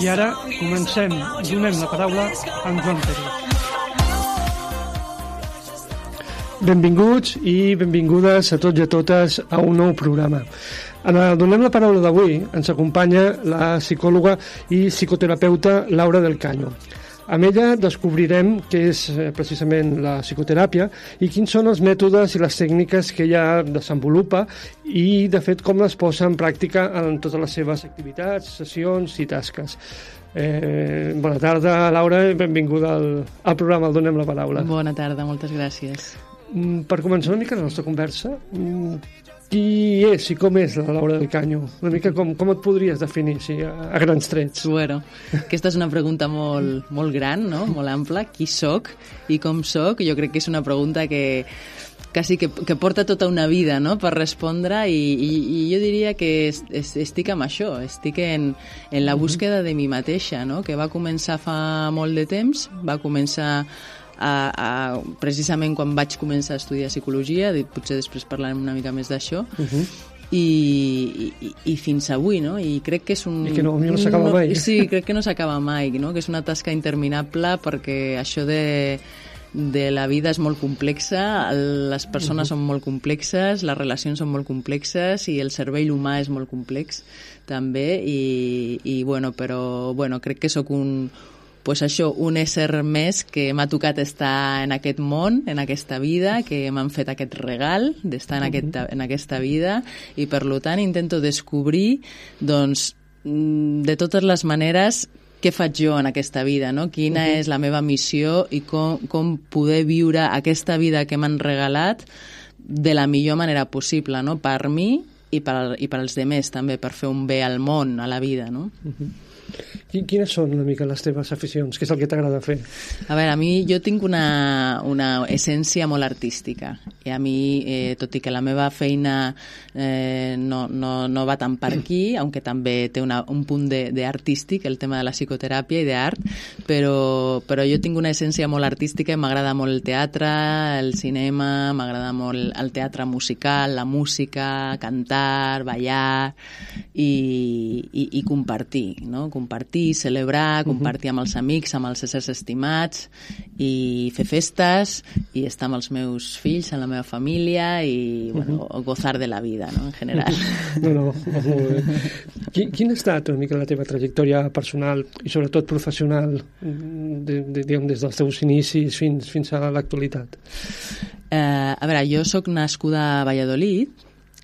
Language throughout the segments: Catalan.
I ara comencem, donem la paraula a en Joan Pérez. Benvinguts i benvingudes a tots i a totes a un nou programa. En el Donem la paraula d'avui ens acompanya la psicòloga i psicoterapeuta Laura del Caño. Amb ella descobrirem què és precisament la psicoteràpia i quins són els mètodes i les tècniques que ella desenvolupa i, de fet, com les posa en pràctica en totes les seves activitats, sessions i tasques. Bona tarda, Laura, i benvinguda al programa El Donem la paraula. Bona tarda, moltes gràcies. Per començar una mica la nostra conversa, qui és i com és la Laura del Caño? Una mica com et podries definir, a grans trets? Bueno, aquesta és una pregunta molt gran, no? Molt ampla. Qui soc i com soc? Jo crec que és una pregunta que quasi que porta tota una vida, no?, per respondre, i jo diria que estic amb això, estic en la búsqueda de mi mateixa, no?, que va començar fa molt de temps, va començar precisament quan vaig començar a estudiar psicologia, potser després parlarem una mica més d'això, i fins avui, no? I crec que és I que no s'acaba mai. Sí, crec que no s'acaba mai, no? Que és una tasca interminable, perquè això de la vida és molt complexa, les persones són molt complexes, les relacions són molt complexes i el cervell humà és molt complex també, però crec que sóc un ésser més que m'ha tocat estar en aquest món, en aquesta vida, que m'han fet aquest regal d'estar en aquesta vida, i per tant intento descobrir, doncs, de totes les maneres, què faig jo en aquesta vida, no? Quina és la meva missió i com poder viure aquesta vida que m'han regalat de la millor manera possible, no? Per mi i per als demés també, per fer un bé al món, a la vida, no? Quines són una mica les teves aficions? Què és el que t'agrada fer? A veure, a mi jo tinc una essència molt artística, i a mi, tot i que la meva feina no va tant per aquí, aunque també té un punt d'artístic, el tema de la psicoteràpia i d'art, però jo tinc una essència molt artística i m'agrada molt el teatre, el cinema, m'agrada molt el teatre musical, la música, cantar, ballar i compartir, no? Compartir, celebrar, compartir amb els amics, amb els éssers estimats, i fer festes, i estar amb els meus fills, amb la meva família, i gozar de la vida, no?, en general. No, molt bé. Quina ha estat una mica la teva trajectòria personal i sobretot professional, diguem, des dels teus inicis fins a l'actualitat? A veure, jo sóc nascuda a Valladolid,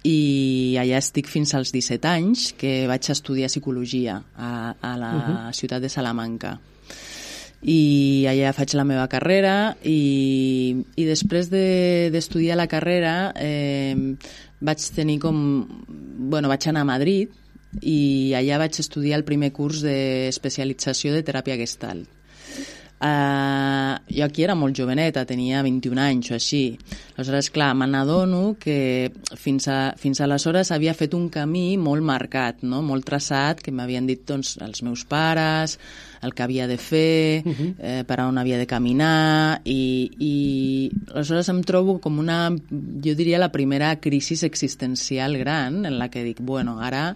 i allà estic fins als 17 anys, que vaig estudiar psicologia a la ciutat de Salamanca. I allà faig la meva carrera, i després d'estudiar la carrera vaig anar a Madrid, i allà vaig estudiar el primer curs d'especialització de teràpia Gestalt. Jo aquí era molt joveneta, tenia 21 anys o així. Aleshores, clar, me n'adono que fins aleshores havia fet un camí molt marcat, no?, molt traçat, que m'havien dit, doncs, els meus pares, el que havia de fer, per on havia de caminar, i aleshores em trobo com jo diria, la primera crisi existencial gran, en la que dic, bueno, ara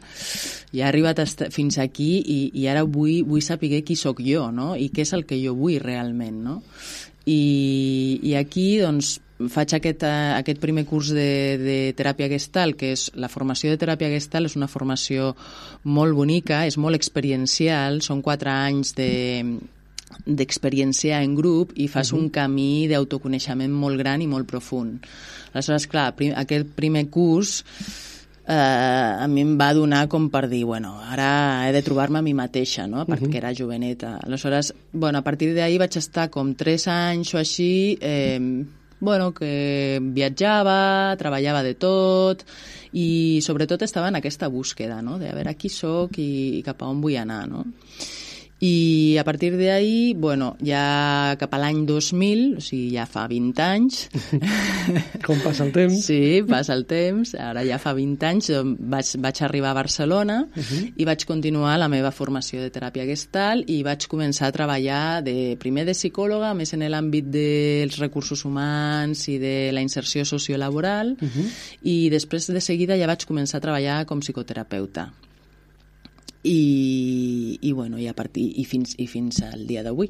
ja he arribat fins aquí, i ara vull saber qui sóc jo, no?, i què és el que jo vull realment, no? I aquí, doncs, faig aquest primer curs de teràpia Gestalt, que és la formació de teràpia Gestalt, és una formació molt bonica, és molt experiencial, són 4 anys d'experienciar en grup, i fas un camí d'autoconeixement molt gran i molt profund. Aleshores, clar, aquest primer curs a mi em va donar com per dir, bueno, ara he de trobar-me a mi mateixa, no?, perquè era joveneta. Aleshores, bueno, a partir d'ahir vaig estar com 3 anys o així, que viatjava, treballava de tot, i sobretot estava en aquesta búsqueda, no?, de a veure qui soc i cap a on vull anar, no? I a partir d'ahir, ja cap a l'any 2000, o sigui, ja fa 20 anys... Com passa el temps. Sí, passa el temps. Ara ja fa 20 anys vaig arribar a Barcelona i vaig continuar la meva formació de teràpia Gestalt, i vaig començar a treballar primer de psicòloga, més en l'àmbit dels recursos humans i de la inserció sociolaboral, i després de seguida ja vaig començar a treballar com psicoterapeuta. i fins al dia d'avui.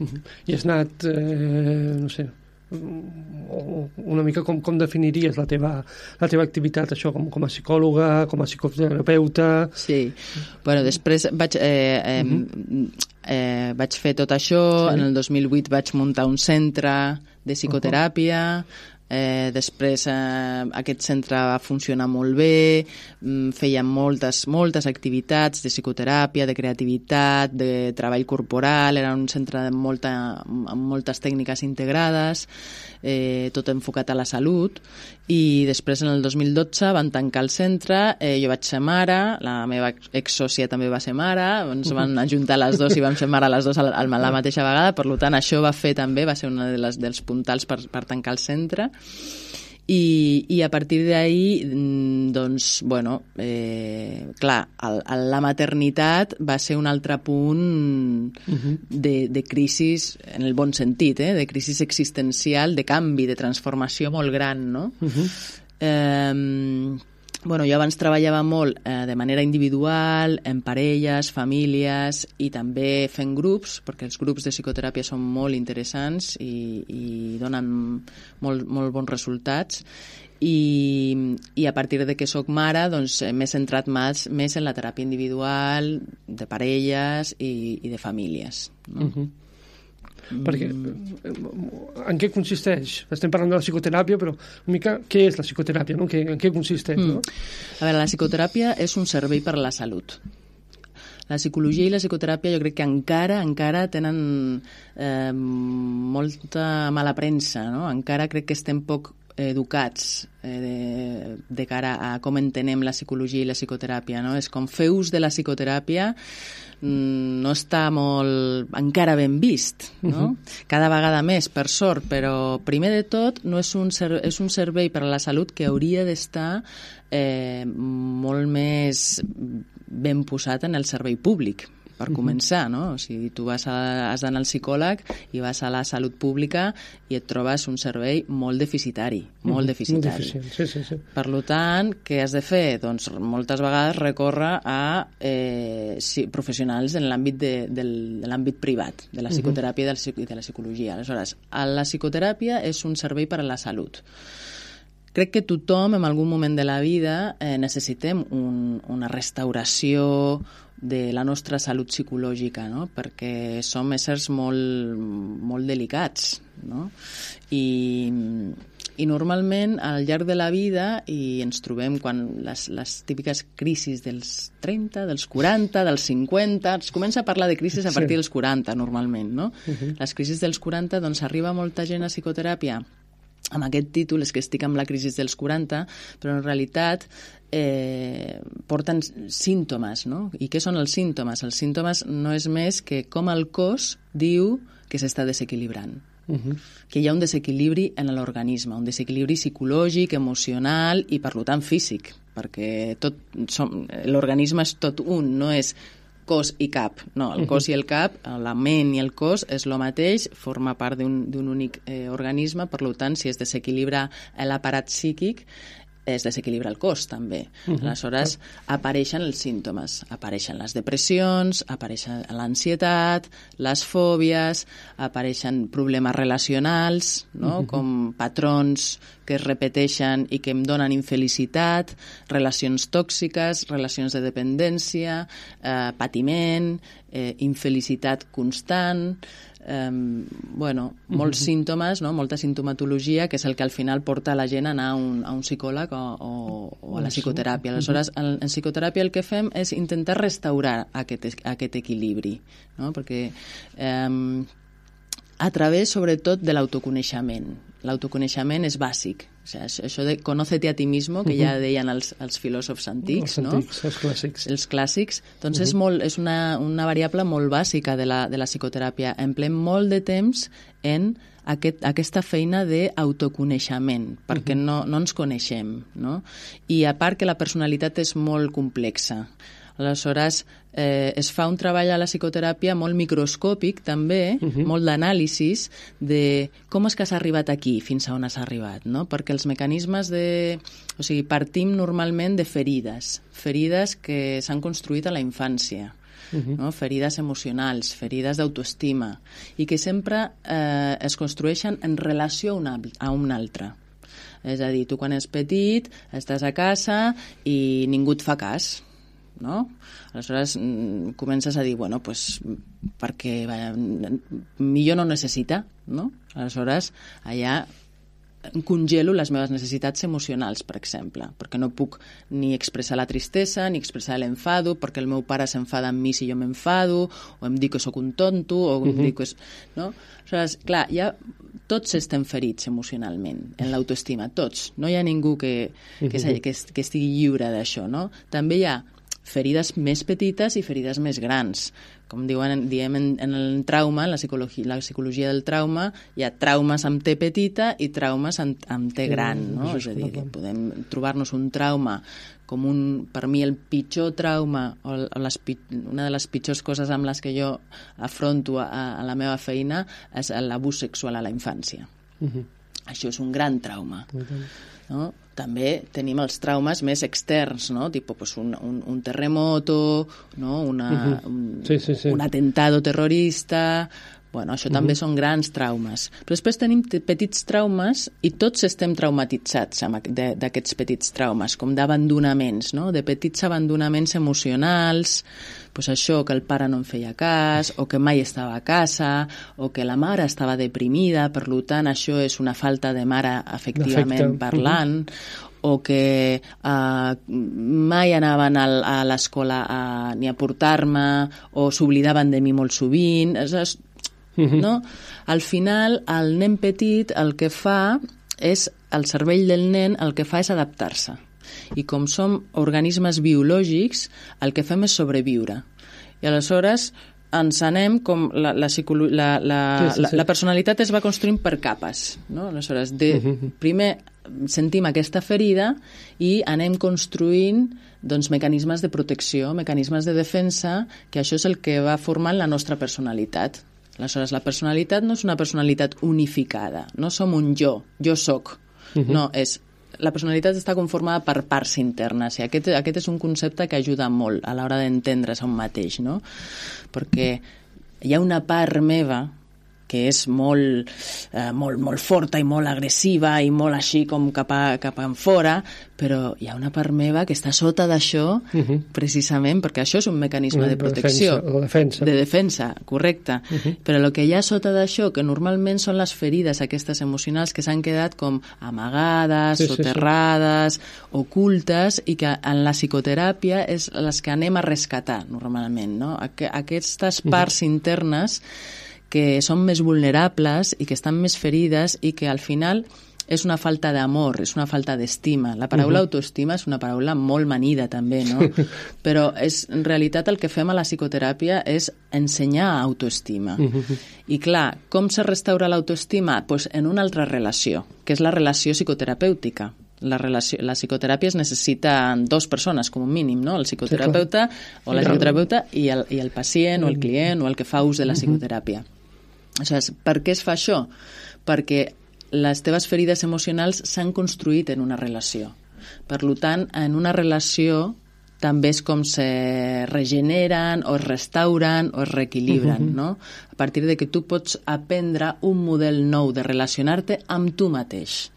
I has anat, no sé, una mica com definiries la teva activitat, això, com a psicòloga, com a psicoterapeuta? Sí, bueno, després vaig fer tot això, en el 2008 vaig muntar un centre de psicoteràpia, després aquest centre va funcionar molt bé, fèiem moltes activitats de psicoteràpia, de creativitat, de treball corporal, era un centre amb moltes tècniques integrades, tot enfocat a la salut, i després en el 2012 van tancar el centre, jo vaig ser mare, la meva exsòcia també va ser mare, ens van ajuntar les dues i vam ser mare les dues a la mateixa vegada, per tant això va ser un dels puntals per tancar el centre. I a partir d'ahí, doncs, bueno, clar, la maternitat va ser un altre punt de crisi, en el bon sentit, de crisi existencial, de canvi, de transformació molt gran, no? Bueno, jo abans treballava molt de manera individual, en parelles, famílies i també fent grups, perquè els grups de psicoteràpia són molt interessants i donen molt bons resultats. I a partir de que soc mare, doncs m'he centrat més en la teràpia individual, de parelles i de famílies, no? Perquè en què consisteix? Estem parlant de la psicoteràpia, però una mica què és la psicoteràpia, no? En què consisteix? No? A veure, la psicoteràpia és un servei per a la salut. La psicologia i la psicoteràpia jo crec que encara tenen molta mala premsa, no? Encara crec que estem poc educats de cara a com entenem la psicologia i la psicoteràpia, no? És com fer ús de la psicoteràpia no està encara ben vist, no? Cada vegada més, per sort, però primer de tot és un servei per a la salut que hauria d'estar molt més ben posat en el servei públic, per començar, no? O sigui, tu has d'anar al psicòleg i vas a la salut pública i et trobes un servei molt deficitari, molt deficitari. Sí. Per tant, què has de fer? Doncs moltes vegades recórrer a professionals en l'àmbit de l'àmbit privat, de la psicoteràpia i de la psicologia. Aleshores, la psicoteràpia és un servei per a la salut. Crec que tothom, en algun moment de la vida, necessitem una restauració de la nostra salut psicològica, no? Perquè som éssers molt delicats, no? I normalment, al llarg de la vida, i ens trobem quan les típiques crisis dels 30, dels 40, dels 50, es comença a parlar de crisis a partir dels 40, normalment, no? Les crisis dels 40, doncs arriba molta gent a psicoteràpia amb aquest títol, és que estic amb la crisi dels 40, però en realitat porten símptomes, no? I què són els símptomes? Els símptomes no és més que com el cos diu que s'està desequilibrant. Que hi ha un desequilibri en l'organisme, un desequilibri psicològic, emocional i, per tant, físic, perquè l'organisme és tot un, no és cos i cap. No, el cos i el cap, la ment i el cos és el mateix, forma part d'un únic organisme, per tant, si es desequilibra l'aparat psíquic, es desequilibra el cos, també. Aleshores, apareixen els símptomes. Apareixen les depressions, apareixen l'ansietat, les fòbies, apareixen problemes relacionals, no? Com patrons que es repeteixen i que em donen infelicitat, relacions tòxiques, relacions de dependència, patiment, infelicitat constant, molts símptomes, no? Molta simptomatologia, que és el que al final porta la gent a anar a un psicòleg o a la psicoteràpia. Aleshores, en psicoteràpia el que fem és intentar restaurar aquest equilibri, no? Perquè a través, sobretot, de l'autoconeixement. L'autoconeixement és bàsic. O sigui, això de conócete a ti mismo, que ja deien els filòsofs antics, no? Els clàssics. Els clàssics. Doncs és una variable molt bàsica de la psicoteràpia. Emplem molt de temps en aquesta feina d'autoconeixement, perquè no ens coneixem, no? I a part que la personalitat és molt complexa. Aleshores, es fa un treball a la psicoteràpia molt microscòpic, també, molt d'anàlisis de com és que s'ha arribat aquí, fins a on s'ha arribat, no? Perquè els mecanismes O sigui, partim normalment de ferides que s'han construït a la infància, no? Ferides emocionals, ferides d'autoestima, i que sempre es construeixen en relació a un altre. És a dir, tu quan ets petit estàs a casa i ningú et fa cas, no? Aleshores comences a dir, bueno, pues perquè millor no necessita, no? Aleshores allà congelo les meves necessitats emocionals, per exemple, perquè no puc ni expressar la tristesa ni expressar l'enfado, perquè el meu pare s'enfada amb mi si jo m'enfado, o em dic que sóc un tonto, o em dic que... No? Aleshores, clar, ja tots estem ferits emocionalment, en l'autoestima, tots. No hi ha ningú que estigui lliure d'això, no? També hi ha ferides més petites i ferides més grans. Com diem en el trauma, en la psicologia del trauma, hi ha traumes amb T petita i traumes amb T gran, no? És a dir, podem trobar-nos un trauma com per mi el pitjor trauma o una de les pitjors coses amb les que jo afronto a la meva feina és l'abús sexual a la infància. Això és un gran trauma, no? També tenim els traumes més externs, no? Tipo, pues un terremoto, no? Un atentado terrorista... Bueno, això també són grans traumes. Però després tenim petits traumes i tots estem traumatitzats d'aquests petits traumes, com d'abandonaments, no? De petits abandonaments emocionals, pues això, que el pare no em feia cas, o que mai estava a casa, o que la mare estava deprimida, per tant, això és una falta de mare efectivament parlant, o que mai anaven a l'escola ni a portar-me, o s'oblidaven de mi molt sovint... No? Al final, el nen petit el que fa és, el cervell del nen el que fa és adaptar-se. I com som organismes biològics, el que fem és sobreviure. I aleshores ens anem com la personalitat es va construint per capes, no? Aleshores, primer sentim aquesta ferida i anem construint mecanismes de protecció, mecanismes de defensa, que això és el que va formant la nostra personalitat. Aleshores, la personalitat no és una personalitat unificada, no som un jo soc, no, la personalitat està conformada per parts internes, i aquest és un concepte que ajuda molt a l'hora d'entendre's a un mateix, no? Perquè hi ha una part meva que és molt forta i molt agressiva i molt així com cap enfora, però hi ha una part meva que està sota d'això precisament perquè això és un mecanisme de protecció. De defensa, correcte. Però el que hi ha sota d'això, que normalment són les ferides aquestes emocionals que s'han quedat com amagades, soterrades, ocultes, i que en la psicoteràpia és les que anem a rescatar normalment, no? Aquestes parts internes que són més vulnerables i que estan més ferides i que al final és una falta d'amor, és una falta d'estima. La paraula autoestima és una paraula molt manida també, no? Però en realitat el que fem a la psicoteràpia és ensenyar autoestima. I clar, com se restaura l'autoestima? Pues en una altra relació, que és la relació psicoterapèutica. La psicoteràpia es necessita dues persones, com un mínim, no? El psicoterapeuta o la psicoterapeuta i el pacient o el client o el que fa ús de la psicoteràpia. Per què es fa això? Perquè les teves ferides emocionals s'han construït en una relació. Per tant, en una relació també és com se regeneren o es restauren o es reequilibren, no? A partir de que tu pots aprendre un model nou de relacionar-te amb tu mateix.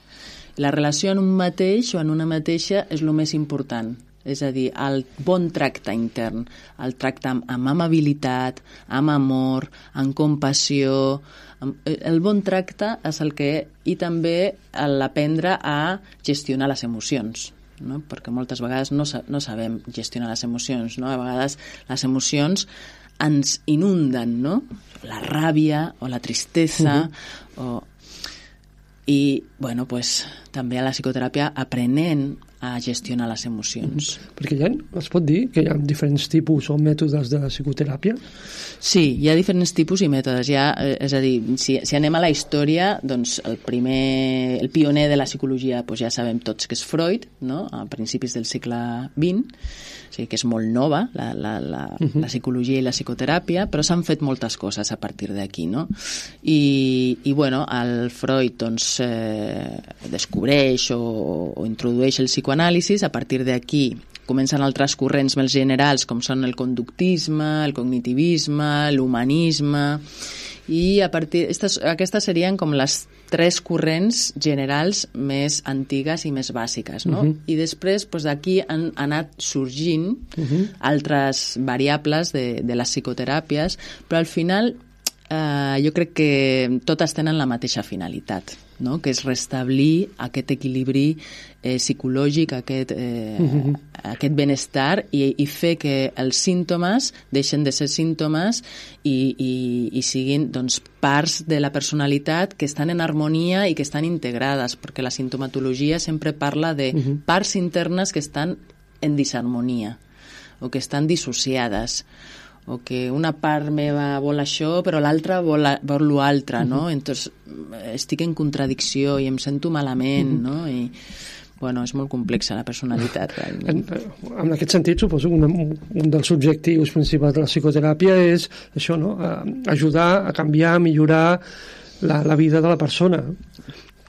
La relació en un mateix o en una mateixa és el més important. És a dir, el bon tracte intern, el tracte amb amabilitat, amb amor, amb compassió. El bon tracte és el que... I també l'aprendre a gestionar les emocions, no? Perquè moltes vegades no sabem gestionar les emocions, no? A vegades les emocions ens inunden, no? La ràbia o la tristesa I, Bueno, pues, també a la psicoteràpia aprenent a gestionar les emocions. Perquè es pot dir que hi ha diferents tipus o mètodes de psicoteràpia? Sí, hi ha diferents tipus i mètodes. És a dir, si anem a la història, doncs el pioner de la psicologia, doncs ja sabem tots que és Freud, no? A principis del segle XX, o sigui que és molt nova la psicologia i la psicoteràpia, però s'han fet moltes coses a partir d'aquí, no? I bueno, el Freud doncs, descobreix o introdueix el psicoanàlisi. A partir d'aquí comencen altres corrents més generals com són el conductisme, el cognitivisme, l'humanisme, i a partir aquestes serien com les tres corrents generals més antigues i més bàsiques, no? I després d'aquí han anat sorgint altres variables de les psicoteràpies, però al final jo crec que totes tenen la mateixa finalitat, no? Que és restablir aquest equilibri psicològic, aquest benestar i fer que els símptomes deixen de ser símptomes i siguin doncs, parts de la personalitat que estan en harmonia i que estan integrades, perquè la sintomatologia sempre parla de parts internes que estan en disharmonia o que estan dissociades, o que una part meva vol això però l'altra vol l'altre, no? Entonces estic en contradicció i em sento malament, no? I bueno, és molt complexa la personalitat. En aquest sentit, suposo que un dels objectius principals de la psicoteràpia és això, no? Ajudar a canviar, a millorar la vida de la persona.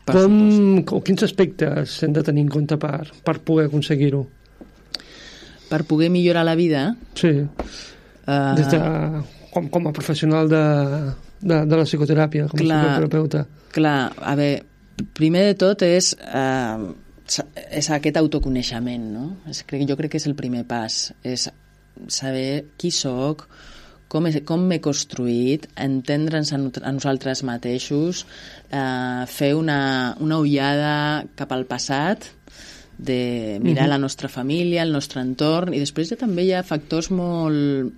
Quins aspectes hem de tenir en compte per poder aconseguir-ho? Per poder millorar la vida? Sí. Des de, com a professional de la psicoteràpia, com a psicoterapeuta. Clar, a veure, primer de tot és aquest autoconeixement, no? Jo crec que és el primer pas, és saber qui soc, com m'he construït, entendre'ns a nosaltres mateixos, fer una ullada cap al passat, de mirar la nostra família, el nostre entorn, i després també hi ha factors molt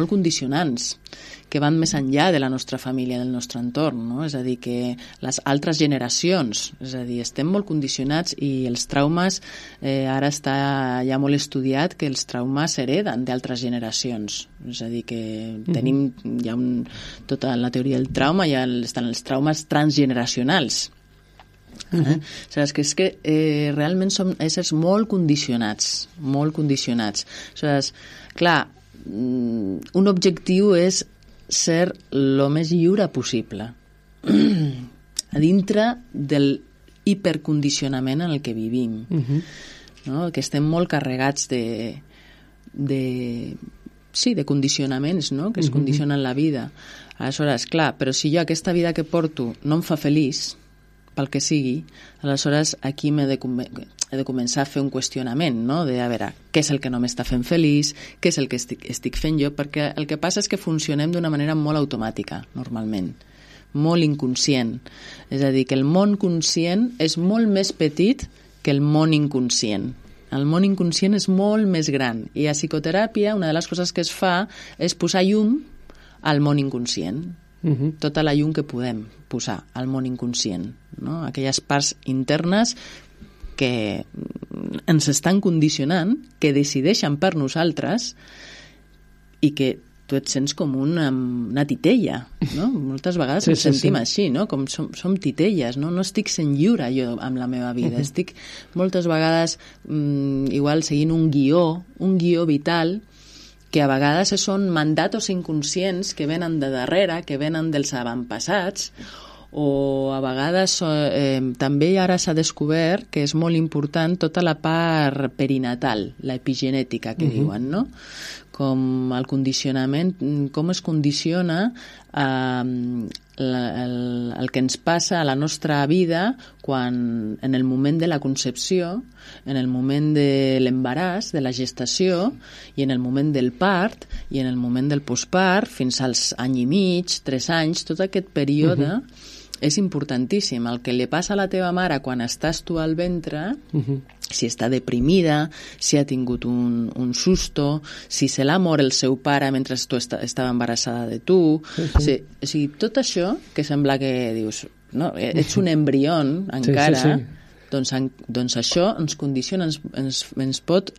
condicionants que van més enllà de la nostra família, del nostre entorn, no? És a dir, que les altres generacions, és a dir, estem molt condicionats i els traumes, ara està ja molt estudiat que els traumes s'hereden d'altres generacions, és a dir, que tenim ja tota la teoria del trauma, ja estan els traumes transgeneracionals. Saps que és que realment som éssers molt condicionats. Saps? Clar, un objectiu és ser el més lliure possible a dintre del hipercondicionament en el que vivim, no? Que estem molt carregats de condicionaments, no? Que es condicionen la vida. Aleshores, clar, però si jo aquesta vida que porto no em fa feliç, pel que sigui, aleshores aquí he de començar a fer un qüestionament, no? De a veure, què és el que no m'està fent feliç, què és el que estic fent jo, perquè el que passa és que funcionem d'una manera molt automàtica, normalment, molt inconscient. És a dir, que el món conscient és molt més petit que el món inconscient. El món inconscient és molt més gran, i a psicoteràpia una de les coses que es fa és posar llum al món inconscient. Tota la llum que podem posar al món inconscient, no? Aquelles parts internes que ens estan condicionant, que decideixen per nosaltres i que tu et sents com una titella, no? Moltes vegades ens sentim així, no? Com som titelles, no? No estic sent lliure jo amb la meva vida, estic moltes vegades igual seguint un guió vital, que a vegades són mandatos inconscients que venen de darrere, que venen dels avantpassats, o a vegades també ara s'ha descobert que és molt important tota la part perinatal, la epigenètica que diuen, no? Com el condicionament, com es condiciona el que ens passa a la nostra vida quan en el moment de la concepció, en el moment de l'embaràs, de la gestació, i en el moment del part, i en el moment del postpart, fins als any i mig, 3 anys, tot aquest període és importantíssim. El que li passa a la teva mare quan estàs tu al ventre, si està deprimida, si ha tingut un susto, si se l'ha mort el seu pare mentre tu estava embarassada de tu, o sigui, tot això que sembla que dius, no? Ets un embrió encara, sí. Doncs això ens condiciona, ens pot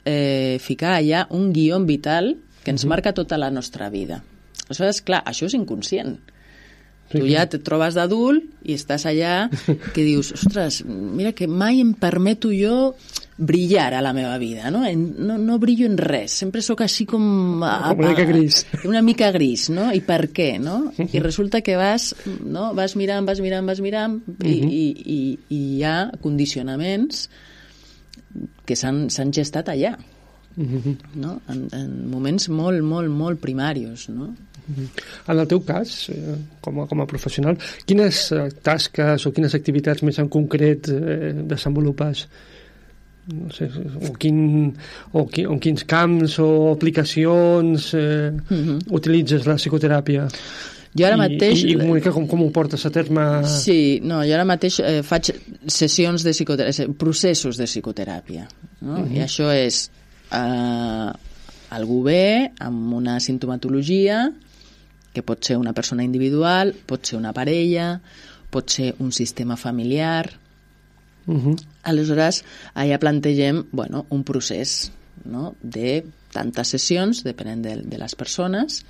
ficar allà un guió vital que ens marca tota la nostra vida. Aleshores, clar, això és inconscient. Tu ja et trobes d'adult i estàs allà que dius, ostres, mira que mai em permeto jo brillar a la meva vida, no? No brillo en res, sempre sóc així com una mica gris. Una mica gris, no? I per què, no? I resulta que vas mirant i hi ha condicionaments que s'han gestat allà, no? En moments molt, molt, molt primaris, no? En el teu cas, com a professional, quines tasques o quines activitats més en concret desenvolupes? No sé, o quins camps o aplicacions utilitzes la psicoteràpia? Jo ara mateix... I Mónica, com ho portes a terme? Sí, no, jo ara mateix faig sessions de psicoteràpia, processos de psicoteràpia, no? I això és algú bé, amb una sintomatologia, que pot ser una persona individual, pot ser una parella, pot ser un sistema familiar. Aleshores, allà plantegem un procés, no? De tantes sessions, depenent de les persones,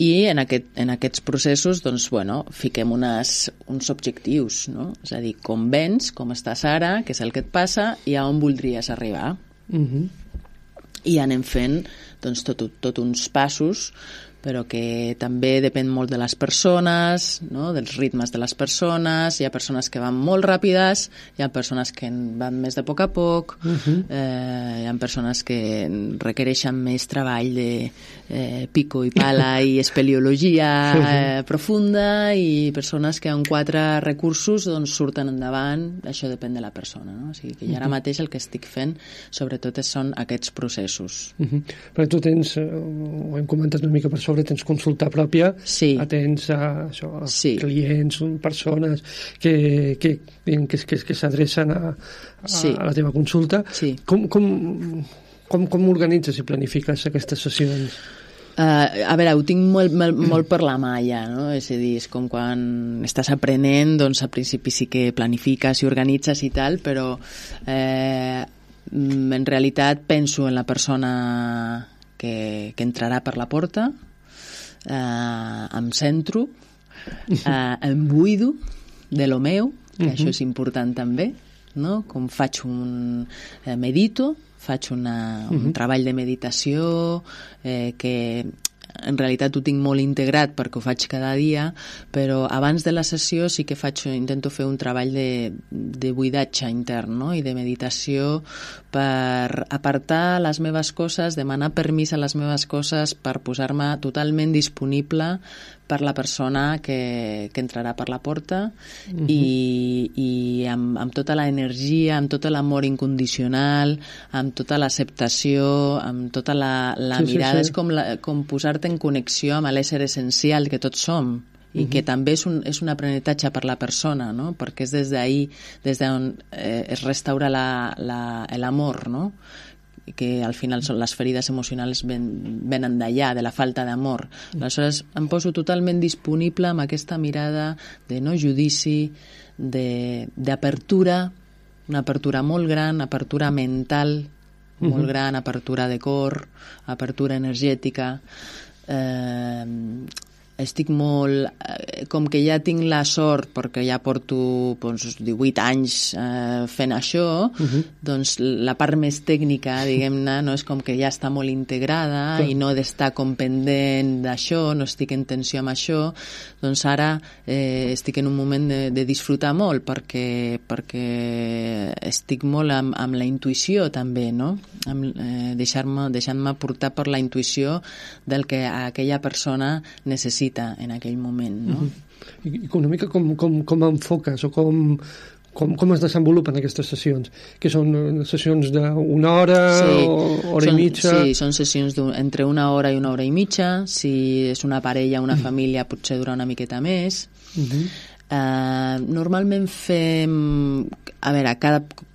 i en aquests processos fiquem uns objectius, no? És a dir, com vens, com estàs ara, què és el que et passa i a on voldries arribar. I anem fent tot uns passos, però que també depèn molt de les persones, no? Dels ritmes de les persones. Hi ha persones que van molt ràpides, hi ha persones que van més de poc a poc, hi ha persones que requereixen més treball de pico i pala i espeleologia profunda, i persones que amb 4 recursos surten endavant. Això depèn de la persona, no? O sigui que ara mateix el que estic fent sobretot són aquests processos. Però tu tens, ho hem comentat una mica per sobre, tens consulta pròpia, atens a clients, persones que s'adrecen a la teva consulta. Com organitzes i planifiques aquestes sessions? A veure, ho tinc molt per la mà ja, no? És a dir, és com quan estàs aprenent, doncs al principi sí que planifiques i organitzes i tal, però en realitat penso en la persona que entrarà per la porta, em centro, em buido de lo meu, que això és important també, no? Com medito, faig un treball de meditació que en realitat ho tinc molt integrat perquè ho faig cada dia, però abans de la sessió sí que intento fer un treball de buidatge intern, no? I de meditació per apartar les meves coses, demanar permís a les meves coses, per posar-me totalment disponible per la persona que entrarà per la porta, i amb tota l'energia, amb tot l'amor incondicional, amb tota l'acceptació, amb tota la mirada. És com posar-te en connexió amb l'ésser essencial que tots som, i que també és un aprenentatge per la persona, no? Perquè és des d'on es restaura l'amor, no? Que al final són les ferides emocionals venen d'allà, de la falta d'amor. Aleshores em poso totalment disponible amb aquesta mirada de no judici, d'apertura, una apertura molt gran, apertura mental molt gran, apertura de cor, apertura energètica. Estic molt... Com que ja tinc la sort, perquè ja porto 18 anys fent això, doncs la part més tècnica, diguem-ne, no és com que ja està molt integrada i no he d'estar com pendent d'això, no estic en tensió amb això, doncs ara estic en un moment de disfrutar molt, perquè estic molt amb la intuïció també, no? Deixant-me portar per la intuïció del que aquella persona necessita en aquell moment, no? I una mica com enfoques o com es desenvolupen aquestes sessions? Que són sessions d'una hora o hora i mitja? Sí, són sessions entre una hora i una hora i mitja. Si és una parella, una família, potser dura una miqueta més. Normalment fem... A veure,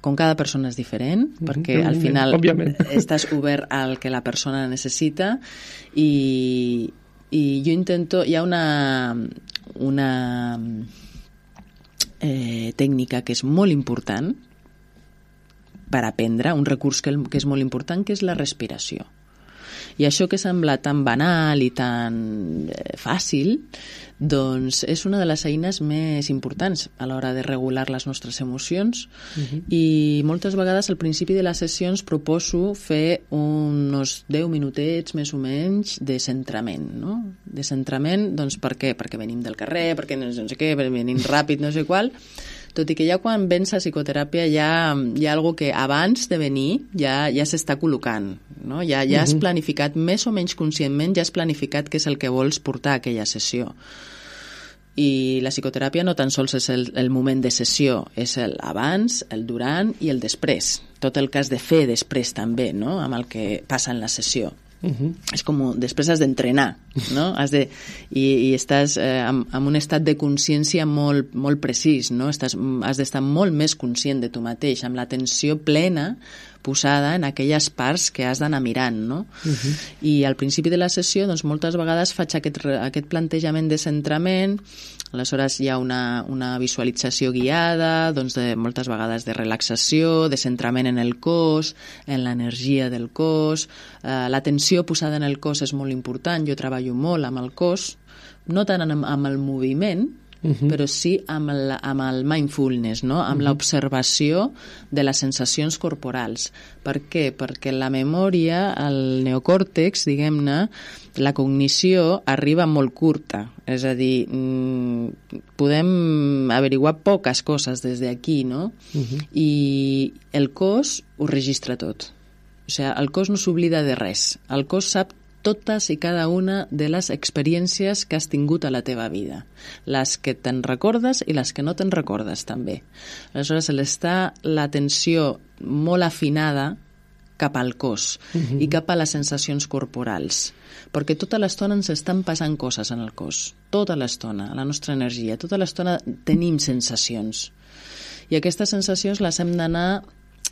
com cada persona és diferent, perquè al final estàs obert al que la persona necessita, i jo intento... Hi ha tècnica que és molt important per aprendre, un recurs que és molt important, que és la respiració. I això que sembla tan banal i tan fàcil, doncs és una de les eines més importants a l'hora de regular les nostres emocions. I moltes vegades al principi de les sessions proposo fer uns 10 minutets més o menys de centrament, no? De centrament, doncs per què? Perquè venim del carrer, perquè no sé què, venim ràpid, no sé qual. Tot i que ja quan vens a psicoteràpia hi ha algo que abans de venir ja s'està col·locant, no? Ja has planificat, més o menys conscientment, ja has planificat què és el que vols portar a aquella sessió. I la psicoteràpia no tan sols és el moment de sessió, és el abans, el durant i el després. Tot el que has de fer després també, no? Amb el que passa en la sessió. És com, després has d'entrenar, no? I estàs en un estat de consciència molt, molt precís, no? Has d'estar molt més conscient de tu mateix, amb l'atenció plena posada en aquelles parts que has d'anar mirant, no? I al principi de la sessió, doncs, moltes vegades faig aquest plantejament de centrament. Aleshores hi ha una visualització guiada, doncs moltes vegades de relaxació, de centrament en el cos, en l'energia del cos. L'atenció posada en el cos és molt important, jo treballo molt amb el cos, no tant amb el moviment, però sí amb el mindfulness, no? Amb l'observació de les sensacions corporals. Per què? Perquè la memòria, el neocòrtex, diguem-ne, la cognició arriba molt curta. És a dir, podem averiguar poques coses des d'aquí, no? I el cos ho registra tot. O sigui, el cos no s'oblida de res. El cos sap totes i cada una de les experiències que has tingut a la teva vida. Les que te'n recordes i les que no te'n recordes, també. Aleshores, està l'atenció molt afinada cap al cos i cap a les sensacions corporals. Perquè tota l'estona ens estan passant coses en el cos. Tota l'estona, la nostra energia. Tota l'estona tenim sensacions. I aquestes sensacions les hem d'anar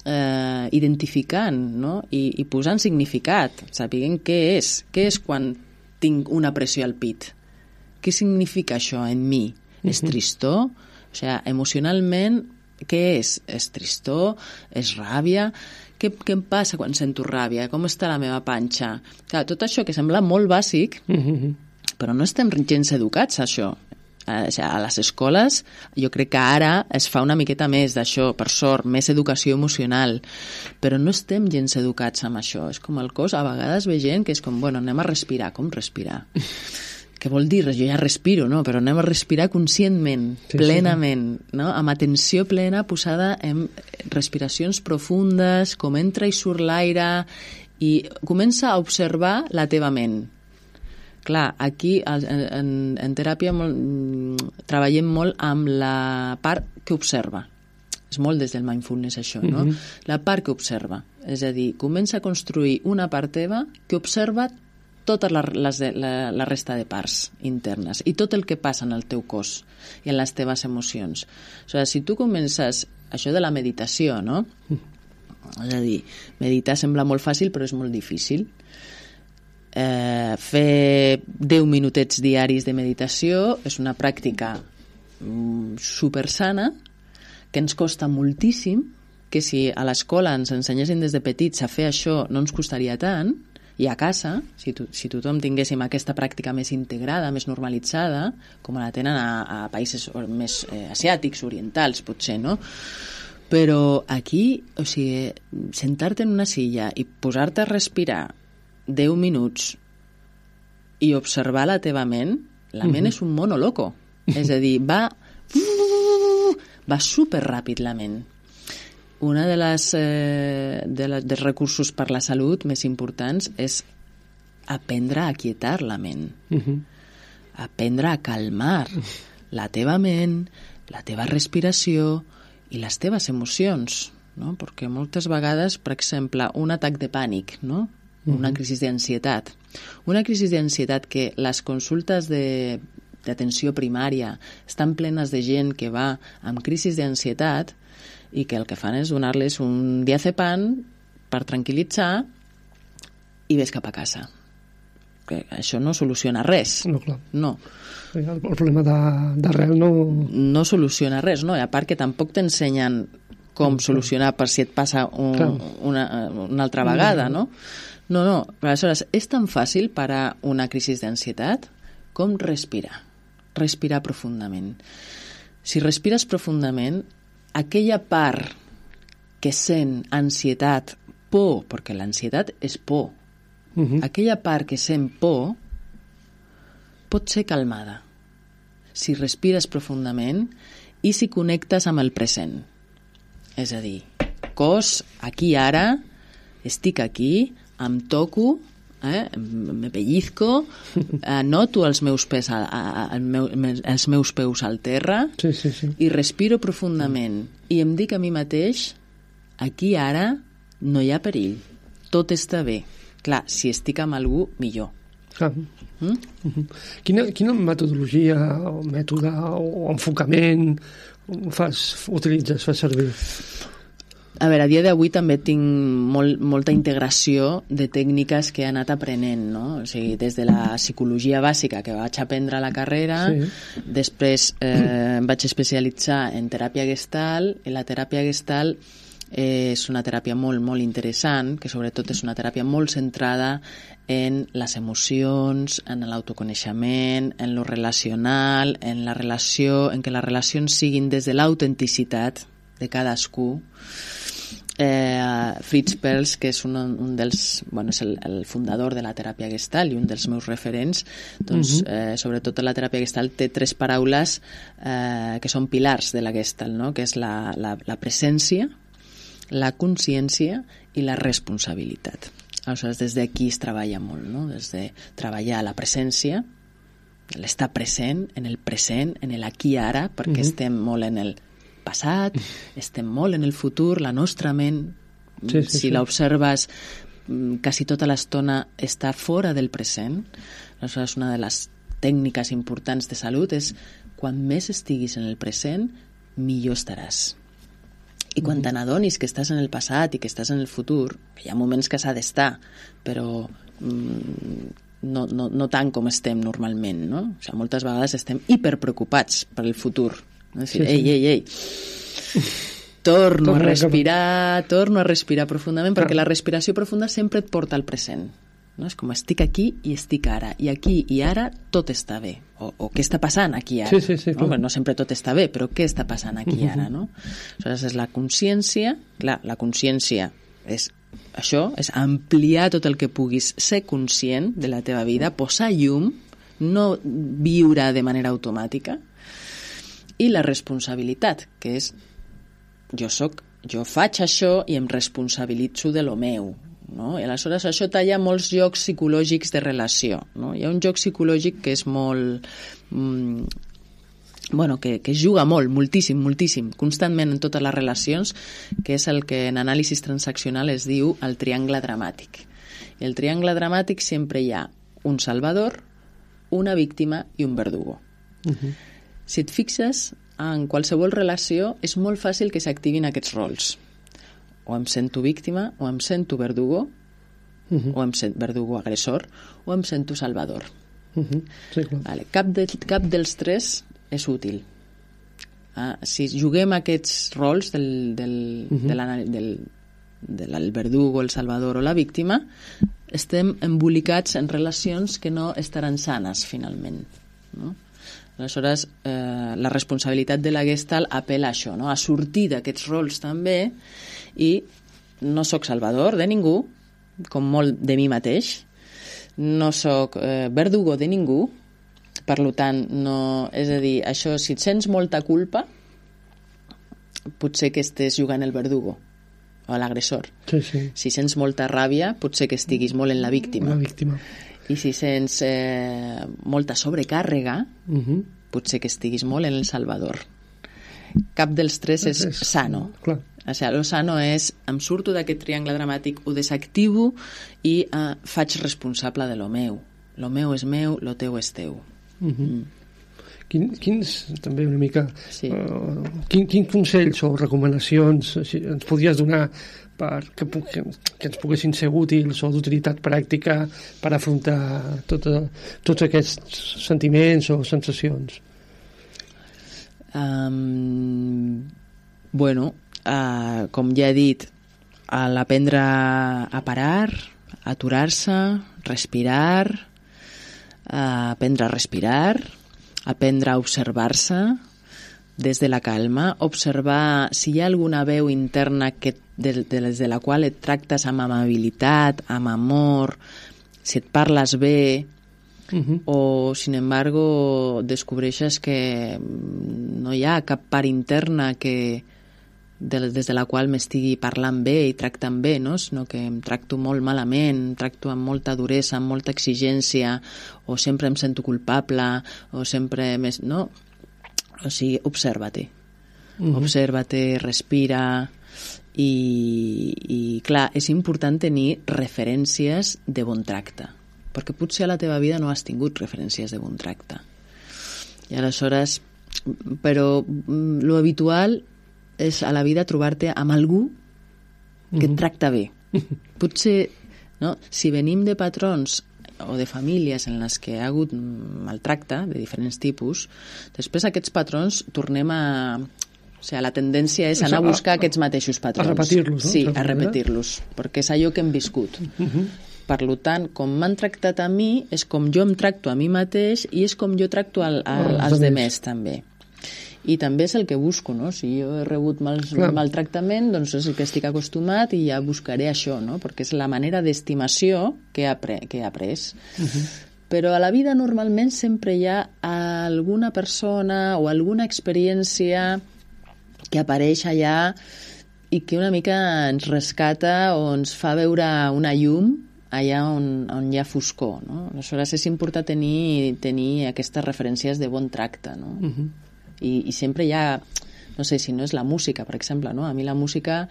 identificant, no? I posant significat, sapiguent què és quan tinc una pressió al pit, què significa això en mi? És tristor? O sigui, emocionalment, què és? És tristor? És ràbia? Què em passa quan sento ràbia? Com està la meva panxa? Clar, tot això que sembla molt bàsic, però no estem gens educats a això. A les escoles jo crec que ara es fa una miqueta més d'això, per sort, més educació emocional, però no estem gens educats amb això. És com el cos, a vegades ve gent que és com, bueno, anem a respirar. Com respirar? Què vol dir? Jo ja respiro, no? Però anem a respirar conscientment, plenament, no? Amb atenció plena posada en respiracions profundes, com entra i surt l'aire, i comença a observar la teva ment. Clar, aquí en teràpia treballem molt amb la part que observa. És molt des del mindfulness això, no? La part que observa. És a dir, comença a construir una part teva que observa tota la resta de parts internes i tot el que passa en el teu cos i en les teves emocions. O sigui, si tu comences això de la meditació, no? És a dir, meditar sembla molt fàcil però és molt difícil. Fer 10 minutets diaris de meditació és una pràctica super sana que ens costa moltíssim, que si a l'escola ens ensenyessin des de petits a fer això no ens costaria tant, i a casa, si tothom tinguéssim aquesta pràctica més integrada, més normalitzada, com la tenen a països més asiàtics, orientals, potser, no? Però aquí, o sigui, sentar-te en una silla i posar-te a respirar 10 minuts i observar la teva ment, la ment és un mono loco. És a dir, va superràpid la ment. Una dels recursos per la salut més importants és aprendre a aquietar la ment. Aprendre a calmar la teva ment, la teva respiració i les teves emocions, no? Perquè moltes vegades, per exemple, un atac de pànic, no? Una crisi d'ansietat. Una crisi d'ansietat que les consultes d'atenció primària estan plenes de gent que va amb crisis d'ansietat i que el que fan és donar-les un diazepam per tranquil·litzar i ves cap a casa. que això no soluciona res. No, clar. No. El problema d'arrel no... No soluciona res, no? I a part que tampoc t'ensenyen com solucionar per si et passa una altra vegada, no? No. Aleshores, és tan fàcil parar una crisi d'ansietat com respirar. Respirar profundament. Si respires profundament, aquella part que sent ansietat, por, perquè l'ansietat és por, aquella part que sent por pot ser calmada si respires profundament i si connectes amb el present. És a dir, cos, aquí ara, estic aquí, em toco, me pellizco, noto els meus peus al terra i respiro profundament i em dic a mi mateix, aquí ara no hi ha perill, tot està bé. Clar, si estic amb algú, millor. Quina metodologia o mètode o enfocament utilitzes, fas servir? A veure, a dia d'avui també tinc molta integració de tècniques que he anat aprenent, no? O sigui, des de la psicologia bàsica que vaig aprendre a la carrera, després em vaig especialitzar en teràpia Gestalt, i la teràpia Gestalt és una teràpia molt, molt interessant, que sobretot és una teràpia molt centrada en les emocions, en l'autoconeixement, en lo relacional, en la relació, en que les relacions siguin des de l'autenticitat de cadascú. Fritz Perls, que és un dels, és el fundador de la teràpia Gestalt i un dels meus referents, doncs sobretot la teràpia Gestalt té 3 paraules que són pilars de la Gestalt, no? Que és la presència, la consciència i la responsabilitat. Aleshores, des d'aquí es treballa molt, no? Des de treballar la presència, l'estar present, en l'aquí ara, perquè estem molt en el passat, estem molt en el futur, la nostra ment, si l'observes, quasi tota l'estona està fora del present. Aleshores, una de les tècniques importants de salut és quan més estiguis en el present, millor estaràs. I quan te n'adonis que estàs en el passat i que estàs en el futur, hi ha moments que s'ha d'estar, però no tant com estem normalment, no? O sigui, moltes vegades estem hiperpreocupats per el futur. No? És dir, ei, torno a respirar profundament, perquè la respiració profunda sempre et porta al present. No? És com estic aquí i estic ara, i aquí i ara tot està bé, o què està passant aquí ara. No sempre tot està bé, però què està passant aquí ara, no? Aleshores és la consciència. Clar, la consciència és això, és ampliar tot el que puguis ser conscient de la teva vida, posar llum, no viure de manera automàtica, i la responsabilitat, que és jo faig això i em responsabilitzo de lo meu, no? I aleshores això talla molts jocs psicològics de relació, no? Hi ha un joc psicològic que és molt que es juga moltíssim, constantment en totes les relacions, que és el que en anàlisi transaccional es diu el triangle dramàtic. I el triangle dramàtic sempre hi ha un salvador, una víctima i un verdugo. Si et fixes, en qualsevol relació és molt fàcil que s'activin aquests rols. O em sento víctima, o em sento verdugo, o em sento verdugo agressor, o em sento salvador. Vale. Cap dels 3 és útil. Si juguem aquests rols del verdugo, el salvador o la víctima, estem embolicats en relacions que no estaran sanes finalment, no? Aleshores, la responsabilitat de la Gestalt apela a això, no? A sortir d'aquests rols també, i no sóc salvador de ningú, com molt de mi mateix, no sóc verdugo de ningú, per tant, no, és a dir, això, si et sents molta culpa, potser que estés jugant el verdugo o l'agressor. Si sents molta ràbia, potser que estiguis molt en la víctima. I si sents molta sobrecàrrega, potser que estiguis molt en el salvador. Cap dels 3 és sano. O sigui, lo sano és, em surto d'aquest triangle dramàtic, ho desactivo i faig responsable de lo meu. Lo meu és meu, lo teu és teu. Quins, també una mica, quins consells o recomanacions ens podries donar que ens poguessin ser útils o d'utilitat pràctica per afrontar tots aquests sentiments o sensacions. Com ja he dit, l'aprendre a parar, aturar-se, respirar, aprendre a respirar, aprendre a observar-se des de la calma, observar si hi ha alguna veu interna des de la qual et tractes amb amabilitat, amb amor, si et parles bé, o, sin embargo, descobreixes que no hi ha cap part interna des de la qual m'estigui parlant bé i tractant bé, no? Sinó que em tracto molt malament, em tracto amb molta duresa, amb molta exigència, o sempre em sento culpable, o sempre... No? O sigui, observa-te. Observa-te, respira, i clar, és important tenir referències de bon tracte, perquè potser a la teva vida no has tingut referències de bon tracte. I aleshores, però lo habitual és a la vida trobar-te amb algú que et tracta bé. Potser, no? Si venim de patrons o de famílies en les que hi ha hagut maltracte de diferents tipus, després aquests patrons tornem a... O sigui, la tendència és anar a buscar aquests mateixos patrons. A repetir-los, no? Sí, a repetir-los, perquè és allò que hem viscut. Per tant, com m'han tractat a mi, és com jo em tracto a mi mateix i és com jo tracto als demés també. I també és el que busco, no? Si jo he rebut maltractament, doncs és el que estic acostumat i ja buscaré això, no? Perquè és la manera d'estimació que he après. Però a la vida normalment sempre hi ha alguna persona o alguna experiència que apareix allà i que una mica ens rescata o ens fa veure una llum allà on hi ha foscor, no? Aleshores és important tenir aquestes referències de bon tracte, no? I sempre hi ha, no sé si no és la música, per exemple, no? A mi la música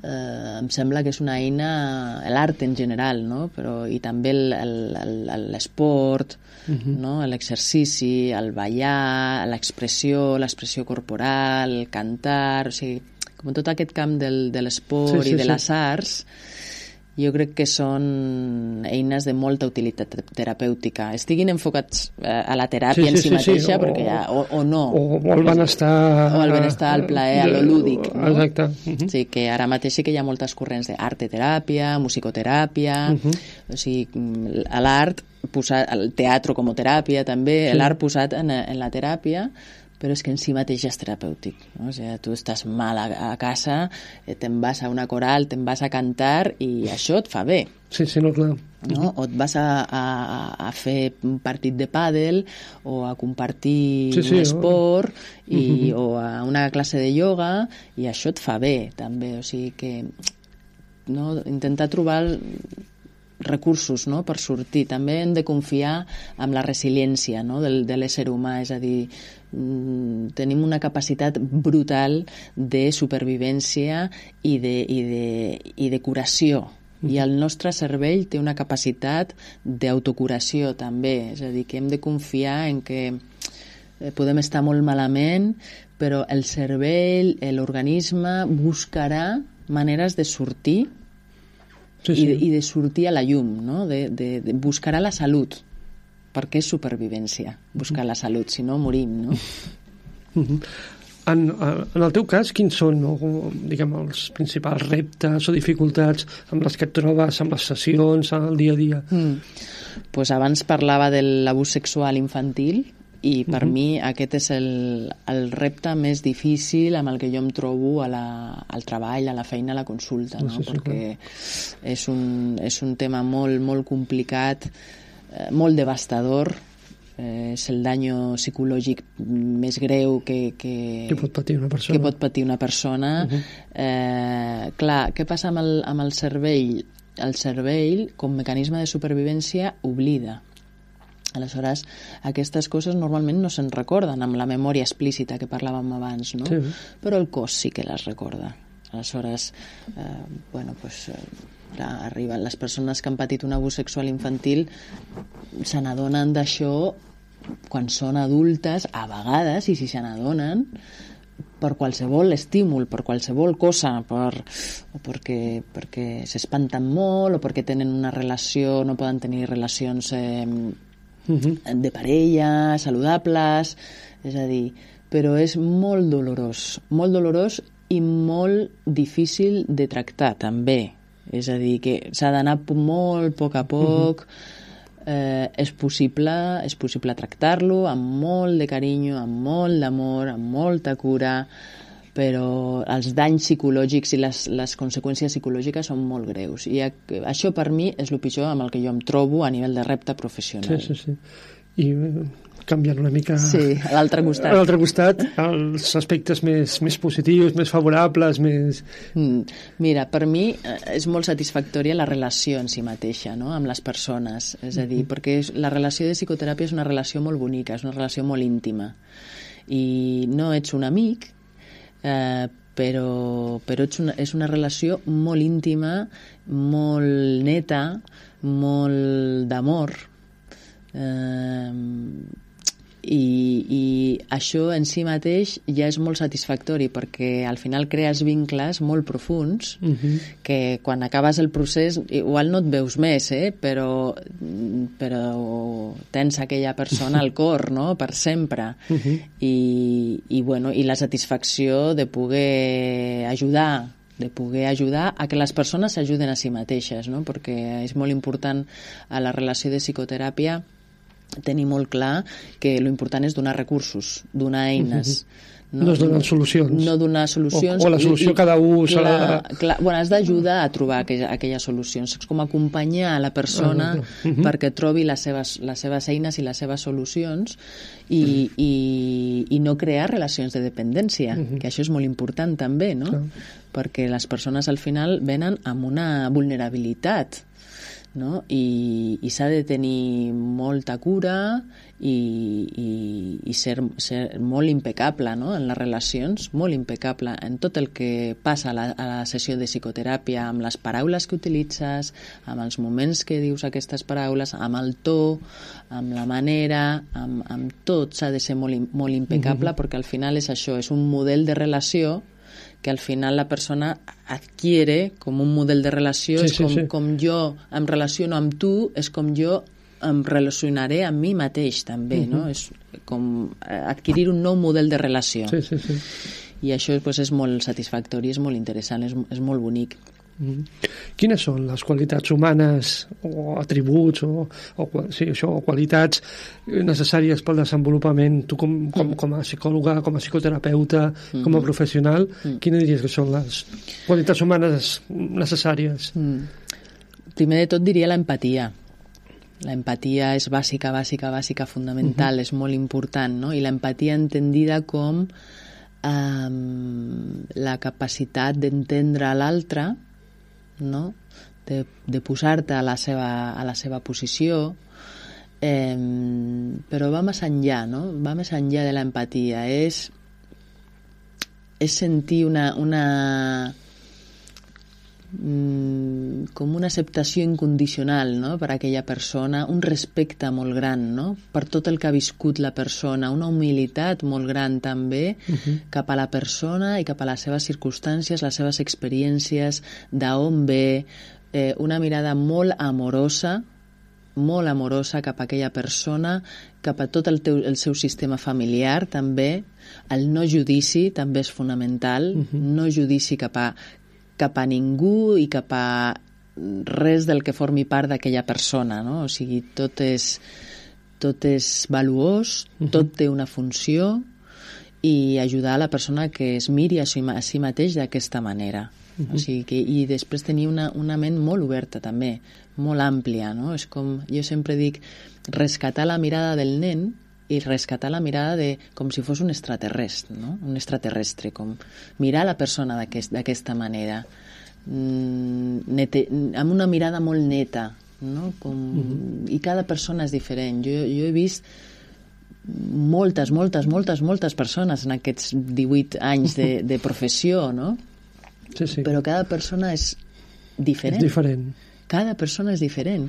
em sembla que és una eina, l'art en general, no? Però, i també l'esport, no? L'exercici, el ballar, l'expressió corporal, el cantar, o sigui, com tot aquest camp de l'esport i de les arts, jo crec que són eines de molta utilitat terapèutica. Estiguin enfocats a la teràpia en si mateixa, perquè o no. O el benestar... O el benestar, el plaer, a lo lúdic. No? Exacte. Sí, que ara mateix sí que hi ha moltes corrents d'arteteràpia, musicoteràpia, o sigui, l'art, el teatre com a teràpia també, l'art posat en la teràpia, però és que en si mateix és terapèutic, no? O sigui, tu estàs mal a casa, te'n vas a una coral, te'n vas a cantar i això et fa bé. Sí, no, clar. No? O et vas a fer un partit de pàdel o a compartir un esport o a una classe de ioga i això et fa bé també, o sigui que no? Intentar trobar recursos, no? Per sortir. També hem de confiar en la resiliència, no? de l'ésser humà, és a dir, tenim una capacitat brutal de supervivència i de curació, i el nostre cervell té una capacitat d'autocuració també, és a dir, que hem de confiar en que podem estar molt malament, però el cervell, l'organisme buscarà maneres de sortir i de sortir a la llum, no? Buscarà la salut, perquè és supervivència, buscar la salut, si no morim, no? En el teu cas, quins són, no? Diguem, els principals reptes o dificultats amb les que et trobes amb les sessions, en el dia a dia? Pues abans parlava de l'abús sexual infantil, i per mi aquest és el repte més difícil amb el que jo em trobo al treball, a la feina, a la consulta, no? Perquè és un tema molt, molt complicat, molt devastador, és el daño psicològic més greu que pot patir una persona. Clar, què passa amb el cervell? El cervell, com mecanisme de supervivència, oblida. Aleshores, aquestes coses normalment no se'n recorden amb la memòria explícita que parlàvem abans, no? Però el cos sí que les recorda. Aleshores, arriben les persones que han patit un abús sexual infantil, se n'adonen d'això quan són adultes, a vegades, i si se n'adonen, per qualsevol estímul, per qualsevol cosa, o perquè s'espanten molt, o perquè tenen una relació, no poden tenir relacions de parella, saludables, és a dir, però és molt dolorós i molt difícil de tractar, també. És a dir, que s'ha d'anar molt a poc, és possible tractar-lo amb molt de carinyo, amb molt d'amor, amb molta cura, però els danys psicològics i les conseqüències psicològiques són molt greus. I això per mi és el pitjor amb el que jo em trobo a nivell de repte professional. Sí. I canviant una mica a l'altre costat. A l'altre costat, els aspectes més positius, més favorables, més... Mira, per mi és molt satisfactòria la relació en si mateixa, no?, amb les persones. És a dir, perquè la relació de psicoteràpia és una relació molt bonica, és una relació molt íntima. I no ets un amic, però és una relació molt íntima, molt neta, molt d'amor, i això en si mateix ja és molt satisfactori, perquè al final crees vincles molt profunds que quan acabes el procés igual no et veus més, però tens aquella persona al cor, no?, per sempre. I la satisfacció de poder ajudar a que les persones s'ajuden a si mateixes, no?, perquè és molt important a la relació de psicoteràpia tenir molt clar que l'important és donar recursos, donar eines. No es donen solucions. No donar solucions. O la solució cada un s'ha has d'ajudar a trobar aquelles solucions. És com acompanyar a la persona perquè trobi les seves eines i les seves solucions i no crear relacions de dependència, que això és molt important també, no? Perquè les persones al final venen amb una vulnerabilitat, no? I s'ha de tenir molta cura i ser molt impecable, no?, en les relacions, molt impecable en tot el que passa a la sessió de psicoteràpia, amb les paraules que utilitzes, amb els moments que dius aquestes paraules, amb el to, amb la manera, amb tot s'ha de ser molt impecable, perquè al final és això, és un model de relació que al final la persona adquiere com un model de relació, com jo em relaciono amb tu, és com jo em relacionaré amb mi mateix també, no? És com adquirir un nou model de relació. I això és molt satisfactori, és molt interessant, és molt bonic. Quines són les qualitats humanes o atributs o qualitats necessàries pel desenvolupament, tu com a psicòloga, com a psicoterapeuta, com a professional, quines diries que són les qualitats humanes necessàries? Primer de tot diria l'empatia. L'empatia és bàsica, fundamental, és molt important, no? I l'empatia entendida com la capacitat d'entendre l'altre, no?, de posar-te a la seva posició, però va més enllà, no? Va més enllà de l'empatia, és sentir com una acceptació incondicional, no?, per a aquella persona, un respecte molt gran, no?, per tot el que ha viscut la persona, una humilitat molt gran també cap a la persona i cap a les seves circumstàncies, les seves experiències, d'on ve, una mirada molt amorosa cap a aquella persona, cap a tot el seu sistema familiar també. El no judici també és fonamental, no judici cap a ningú i cap a res del que formi part d'aquella persona, no? O sigui, tot és valuós, tot té una funció, i ajudar a la persona que es miri a si mateix d'aquesta manera. O sigui i després tenir una ment molt oberta també, molt àmplia, no? És com, jo sempre dic, rescatar la mirada del nen i rescatar la mirada com si fos un extraterrestre, no? Un extraterrestre, com mirar la persona d'aquesta manera, amb una mirada molt neta, no? I cada persona és diferent. Jo he vist moltes persones en aquests 18 anys de professió, no? Però cada persona és diferent. És diferent. Cada persona és diferent.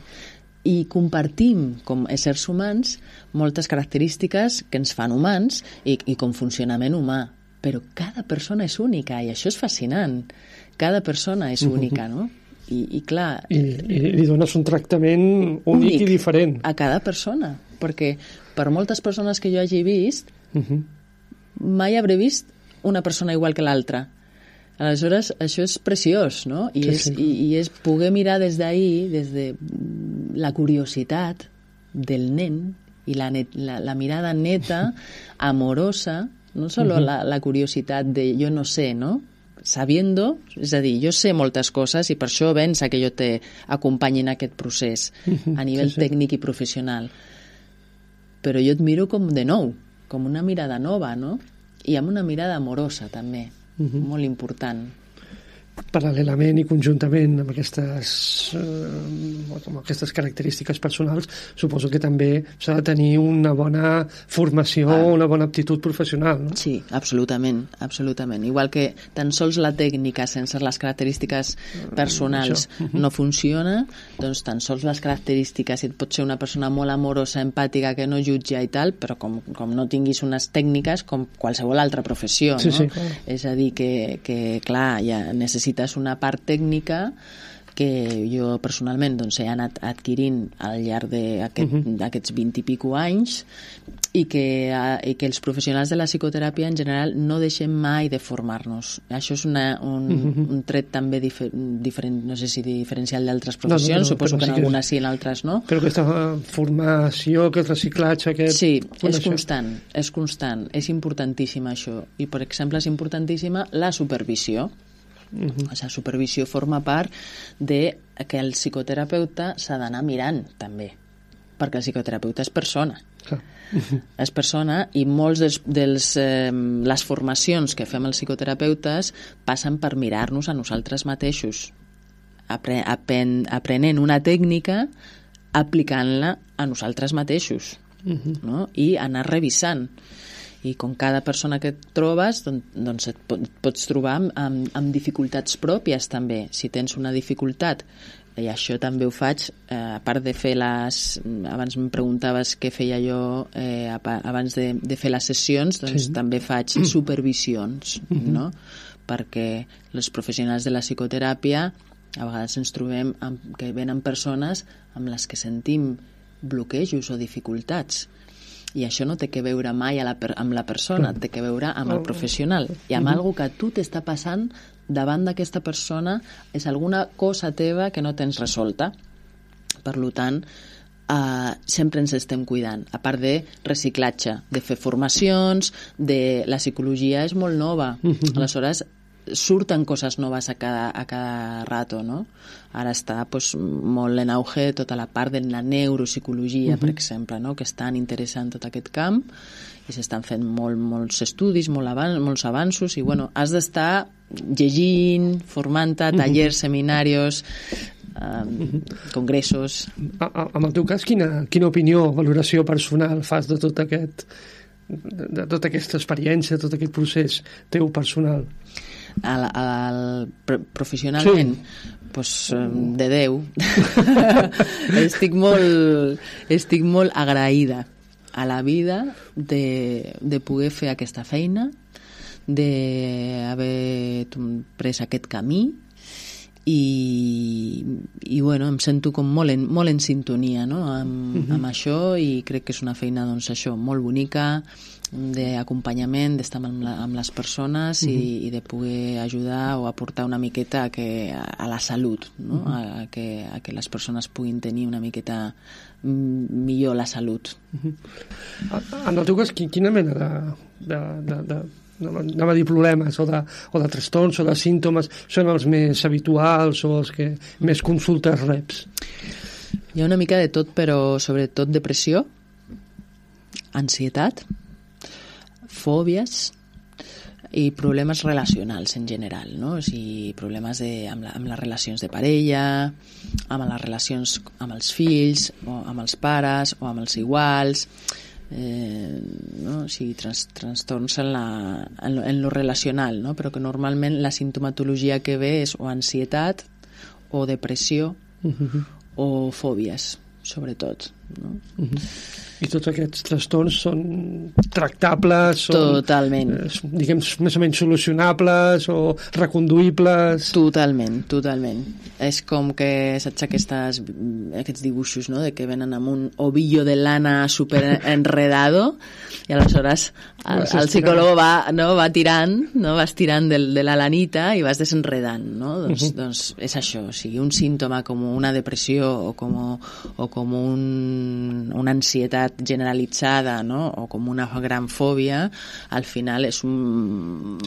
I compartim, com éssers humans, moltes característiques que ens fan humans i com funcionament humà. però cada persona és única i això és fascinant. Cada persona és única, no? I clar... I li dones un tractament únic i diferent. A cada persona, perquè per moltes persones que jo hagi vist, mai hauré vist una persona igual que l'altra. Aleshores, això és preciós, no? I és poder mirar des d'ahir, des de la curiositat del nen i la mirada neta, amorosa, no solo la curiositat de jo no sé, no? Sabiendo, és a dir, jo sé moltes coses i per això vença que jo t'acompanyi en aquest procés a nivell tècnic i professional. Però jo et miro com de nou, com una mirada nova, no? I amb una mirada amorosa, també, molt important. Paral·lelament i conjuntament amb aquestes característiques personals, suposo que també s'ha de tenir una bona formació, una bona aptitud professional, no? Sí, absolutament, absolutament. Igual que tan sols la tècnica sense les característiques personals no funciona, doncs tan sols les característiques, et pot ser una persona molt amorosa, empàtica, que no jutja i tal, però com no tinguis unes tècniques com qualsevol altra professió, no? Sí, clar. És a dir, que clar, ja necessites una part tècnica que jo personalment doncs, he anat adquirint al llarg d'aquests 20 i pico anys i que els professionals de la psicoteràpia en general no deixem mai de formar-nos. Això és un tret també diferent, no sé si diferencial d'altres professions, suposo que en algunes sí, en altres no. Però aquesta formació, aquest reciclatge... Sí, és constant, és importantíssima això. I, per exemple, és importantíssima la supervisió. La supervisió forma part de que el psicoterapeuta s'ha d'anar mirant també, perquè el psicoterapeuta és persona. És persona i molts les formacions que fem els psicoterapeutes passen per mirar-nos a nosaltres mateixos, aprenent una tècnica, aplicant-la a nosaltres mateixos, no? I anar revisant. I com cada persona que et trobes, doncs et pots trobar amb dificultats pròpies també. Si tens una dificultat, i això també ho faig, a part de fer abans em preguntaves què feia jo abans de fer les sessions, doncs també faig supervisions, no? Perquè els professionals de la psicoteràpia a vegades ens trobem que venen persones amb les que sentim bloquejos o dificultats. I això no té que veure mai amb la persona, té que veure amb el professional i amb alguna que a tu t'està passant davant d'aquesta persona, és alguna cosa teva que no tens resolta. Per tant, sempre ens estem cuidant, a part de reciclatge, de fer formacions, la psicologia és molt nova, aleshores surten coses noves a cada rato, no? Ara està molt en auge tota la part de la neuropsicologia, per exemple, no? Que és tan interessant tot aquest camp i s'estan fent molts estudis, molts avanços i has d'estar llegint, formant-te, tallers, seminaris, congressos. En el teu cas, quina opinió o valoració personal fas de tota aquesta experiència, tot aquest procés teu personal? Professionalment de Déu estic molt agraïda a la vida de poder fer aquesta feina, d'haver pres aquest camí i em sento com molt en sintonia, no? amb això, i crec que és una feina molt bonica d'acompanyament, d'estar amb les persones i de poder ajudar o aportar una miqueta a la salut, no? a que les persones puguin tenir una miqueta millor la salut. En el teu cas, quina mena de problemes o de trastorns o de símptomes són els més habituals o els que més consultes reps? Hi ha una mica de tot, però sobretot depressió, ansietat, fòbies i problemes relacionals en general, no? O sigui, problemes amb les relacions de parella, amb les relacions amb els fills, o amb els pares, o amb els iguals, no? O sigui, trastorns en lo relacional, no? Però que normalment la simptomatologia que ve és o ansietat, o depressió, o fòbies, sobretot, no? I tots aquests trastorns són tractables, són, Totalment. Diguem, més o menys solucionables o reconduïbles. Totalment. És com que saps aquests dibuixos, no?, de que venen amb un ovillo de lana super enredado i aleshores el psicòleg va tirant, no?, vas tirant de la lanita i vas desenredant, no? Doncs és això, o sigui, un símptoma com una depressió o com una ansietat generalitzada, no?, o com una gran fòbia, al final és un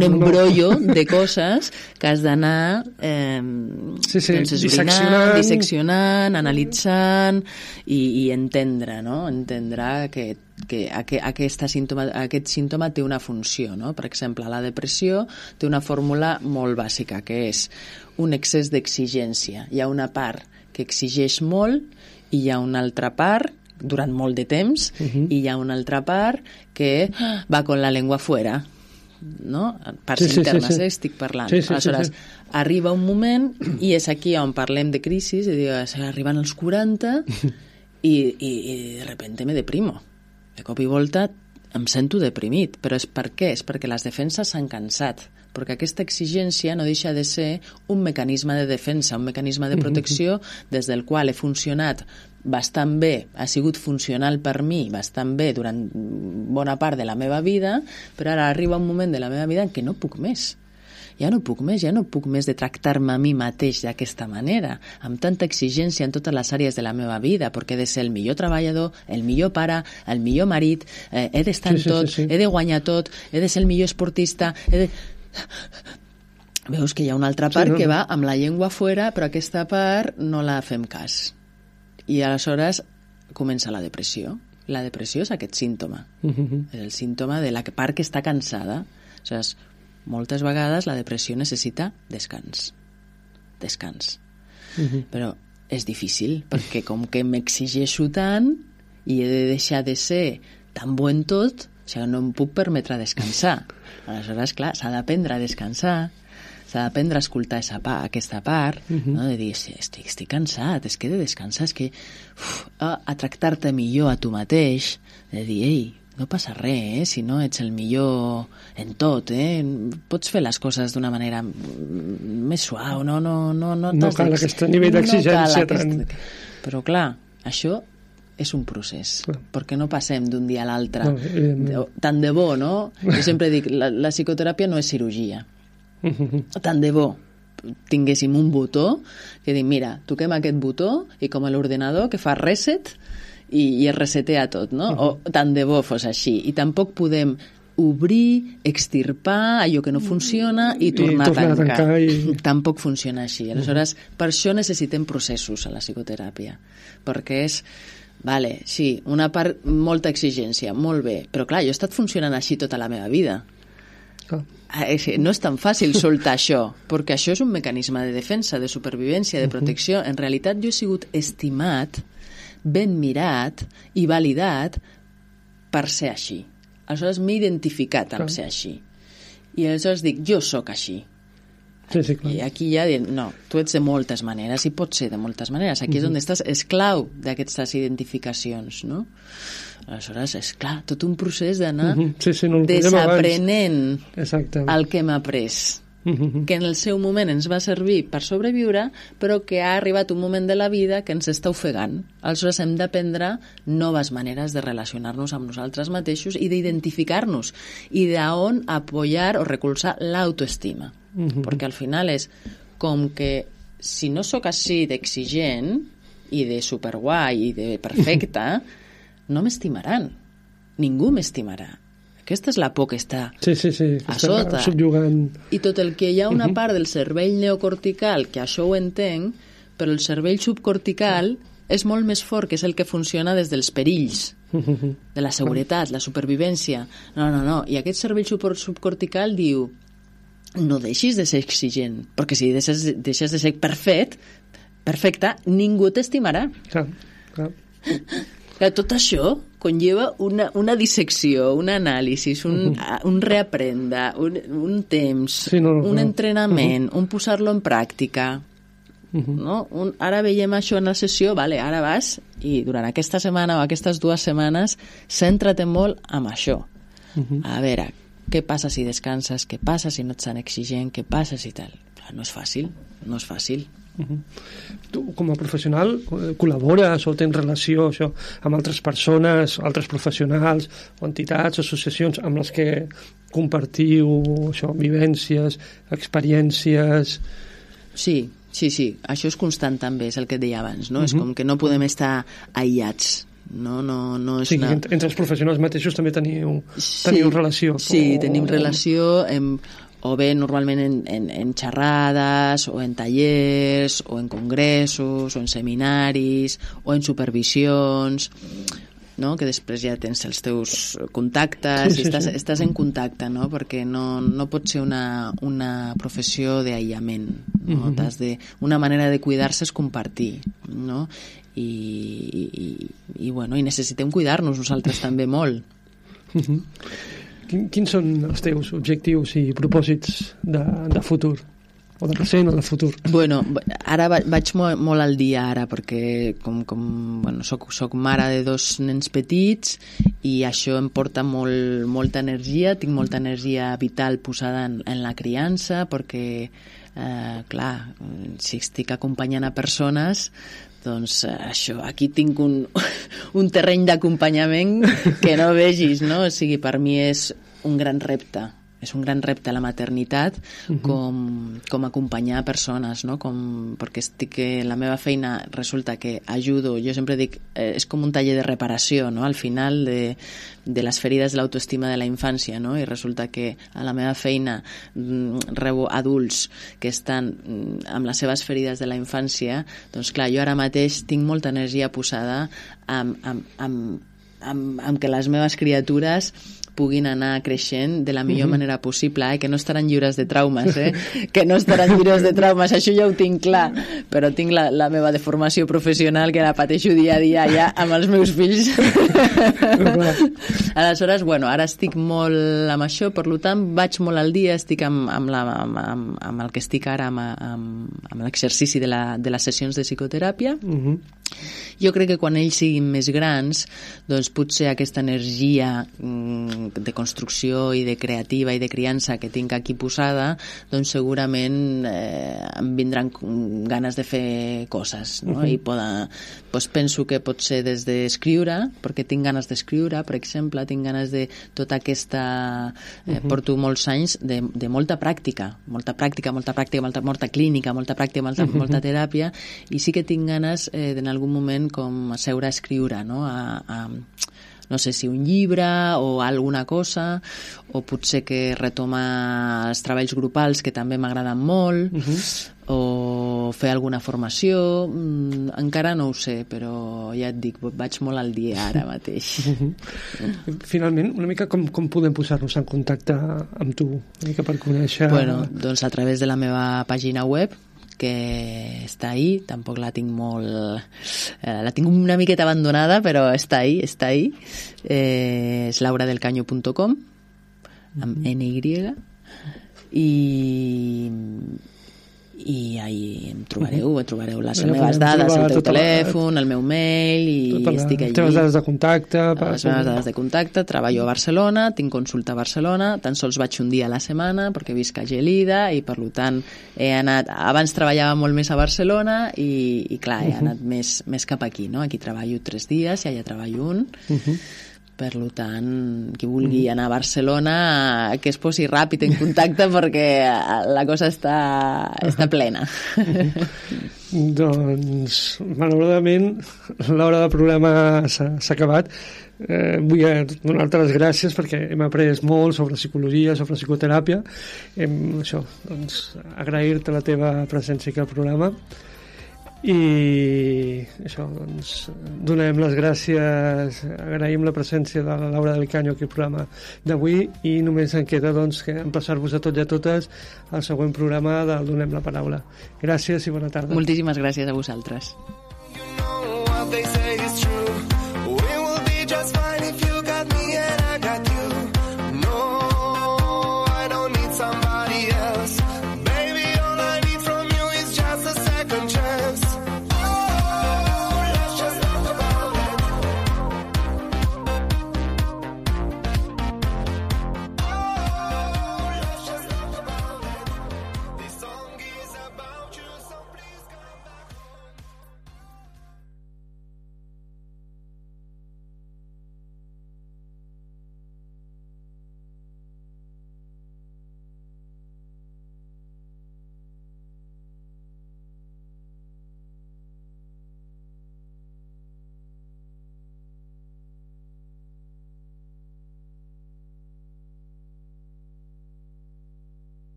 embrollo de coses que has d'anar disseccionant, analitzant i entendre, no?, entendre que aquest símptoma té una funció, no? Per exemple, la depressió té una fórmula molt bàsica, que és un excés d'exigència. Hi ha una part que exigeix molt i hi ha una altra part durant molt de temps i hi ha una altra part que va con la lengua fuera, no? Parts internes, estic parlant. Aleshores, arriba un moment i és aquí on parlem de crisis, arriben els 40 i de repente me deprimo. De cop i volta em sento deprimit. Però és per què? És perquè les defenses s'han cansat. Perquè aquesta exigència no deixa de ser un mecanisme de defensa, un mecanisme de protecció des del qual he funcionat bastant bé, ha sigut funcional per mi bastant bé durant bona part de la meva vida, però ara arriba un moment de la meva vida en què no puc més. Ja no puc més de tractar-me a mi mateix d'aquesta manera, amb tanta exigència en totes les àrees de la meva vida, perquè he de ser el millor treballador, el millor pare, el millor marit, he d'estar en tot, he de guanyar tot, he de ser el millor esportista, Veus que hi ha una altra part que va amb la llengua fora, però aquesta part no la fem cas. I aleshores comença la depressió. La depressió és aquest símptoma. És el símptoma de la part que està cansada. Aleshores, moltes vegades la depressió necessita descans. Però és difícil, perquè com que m'exigeixo tant i he de deixar de ser tan bo en tot, o sigui, no em puc permetre descansar. Aleshores, clar, s'ha d'aprendre a descansar, s'ha d'aprendre a escoltar aquesta part, no? De dir, estic cansat, és que he de descansar, és que a tractar-te millor a tu mateix, de dir, ei, no passa res, si no ets el millor en tot, pots fer les coses d'una manera més suau, no cal aquest nivell d'exigència tant. Però clar, això és un procés, perquè no passem d'un dia a l'altre. Tant de bo, no? Jo sempre dic, la psicoteràpia no és cirurgia. Tant de bo tinguéssim un botó que dic, mira, toquem aquest botó i com a l'ordenador que fa reset i es resetea tot, no? O tant de bo fos així. I tampoc podem obrir, extirpar allò que no funciona i tornar a tancar. Tampoc funciona així. Aleshores, per això necessitem processos a la psicoteràpia, perquè és vale, sí, una part, molta exigència, molt bé, però clar, jo he estat funcionant així tota la meva vida. No és tan fàcil soltar això, perquè això és un mecanisme de defensa, de supervivència, de protecció. En realitat jo he sigut estimat, ben mirat i validat per ser així. Aleshores m'he identificat amb ser així. I aleshores dic, jo sóc així. Sí, clar. I aquí ja diuen, no, tu ets de moltes maneres i pots ser de moltes maneres. Aquí és on estàs esclau d'aquestes identificacions, no? Aleshores, és clar, tot un procés d'anar desaprenent el que hem après, que en el seu moment ens va servir per sobreviure, però que ha arribat un moment de la vida que ens està ofegant. Aleshores hem d'aprendre noves maneres de relacionar-nos amb nosaltres mateixos i d'identificar-nos i d'on apoyar o recolzar l'autoestima. Perquè al final és com que si no sóc així d'exigent i de superguai i de perfecta, no m'estimaran. Ningú m'estimarà. Aquesta és la por que està a sota. I tot el que hi ha una part del cervell neocortical que això ho entenc, però el cervell subcortical és molt més fort, que és el que funciona des dels perills, de la seguretat, la supervivència. No. I aquest cervell subcortical diu, no deixis de ser exigent, perquè si deixes de ser perfecte, ningú t'estimarà. Clar. Tot això conlleva una dissecció, un anàlisi, un reaprendre, un temps, un entrenament, un posar-lo en pràctica. no? Ara veiem això en la sessió, vale, ara vas i durant aquesta setmana o aquestes 2 setmanes centra't molt amb això. A veure, què passa si descanses, què passa si no ets tan exigent, què passa si tal. No és fàcil, no és fàcil. Tu, com a professional, col·labores o tens relació això, amb altres persones, altres professionals o entitats, associacions amb les que compartiu això, vivències, experiències... Sí, això és constant també, és el que et deia abans, no? És com que no podem estar aïllats, no és sí, entre els professionals mateixos també teniu relació. Sí, tenim relació o bé normalment en xerrades o en tallers o en congressos o en seminaris o en supervisions, no? Que després ja tens els teus contactes i estàs en contacte, no? Perquè no pot ser una professió d'aïllament, no? Una manera de cuidar-se és compartir, no? I necessitem cuidar-nos nosaltres també molt. Quins són els teus objectius i propòsits de futur? O de present o de futur? Bueno, ara vaig molt al dia ara, perquè soc mare de 2 nens petits i això em porta molta energia, tinc molta energia vital posada en la criança, perquè, clar, si estic acompanyant a persones, doncs això, aquí tinc un terreny d'acompanyament que no vegis, no? O sigui, per mi és un gran repte. És un gran repte la maternitat com acompanyar persones, no? Perquè la meva feina resulta que ajudo, jo sempre dic, és com un taller de reparació, no? Al final de les ferides de l'autoestima de la infància, no? I resulta que a la meva feina rebo adults que estan amb les seves ferides de la infància, doncs clar, jo ara mateix tinc molta energia posada amb que les meves criatures puguin anar creixent de la millor manera possible, que no estaran lliures de traumes, que no estaran lliures de traumes, això ja ho tinc clar, però tinc la meva deformació professional que la pateixo dia a dia ja amb els meus fills. Aleshores, ara estic molt amb això, per tant, vaig molt al dia, estic amb el que estic ara, amb l'exercici de les sessions de psicoteràpia. Jo crec que quan ells siguin més grans, doncs potser aquesta energia de construcció i de creativa i de criança que tinc aquí posada, doncs segurament em vindran ganes de fer coses, no? I doncs penso que pot ser des d'escriure, perquè tinc ganes d'escriure, per exemple, tinc ganes de tota aquesta... porto molts anys de molta pràctica, molta clínica, molta pràctica, molta teràpia, i sí que tinc ganes en algun moment com seure a escriure, no? No sé si un llibre o alguna cosa, o potser que retomar els treballs grupals que també m'agraden molt, o fer alguna formació, encara no ho sé, però ja et dic, vaig molt al dia ara mateix. Finalment, una mica com podem posar-nos en contacte amb tu, una mica per conèixer... Doncs a través de la meva pàgina web, que està ahí, tampoc la tinc molt... la tinc una miqueta abandonada, però està ahí. És lauradelcaño.com, amb NY, i ahí em trobareu les meves dades, el teu telèfon, el meu mail, i estic allí. Les teves dades de contacte. Les meves dades de contacte, treballo a Barcelona, tinc consulta a Barcelona, tan sols vaig un dia a la setmana perquè visc a Gelida i per tant he anat, abans treballava molt més a Barcelona i clar, he anat més cap aquí, no? Aquí treballo 3 dies i allà treballo un. Per tant, qui vulgui anar a Barcelona que es posi ràpid en contacte perquè la cosa està plena. Doncs, malauradament, l'hora del programa s'ha acabat. Vull donar-te les gràcies perquè hem après molt sobre psicologia, sobre psicoteràpia. Agrair-te la teva presència aquí al programa. I això, doncs, donem les gràcies, agraïm la presència de la Laura del Caño aquí al programa d'avui i només en queda doncs, que emplaçar-vos a tots i a totes al següent programa del Donem la Paraula. Gràcies i bona tarda. Moltíssimes gràcies a vosaltres.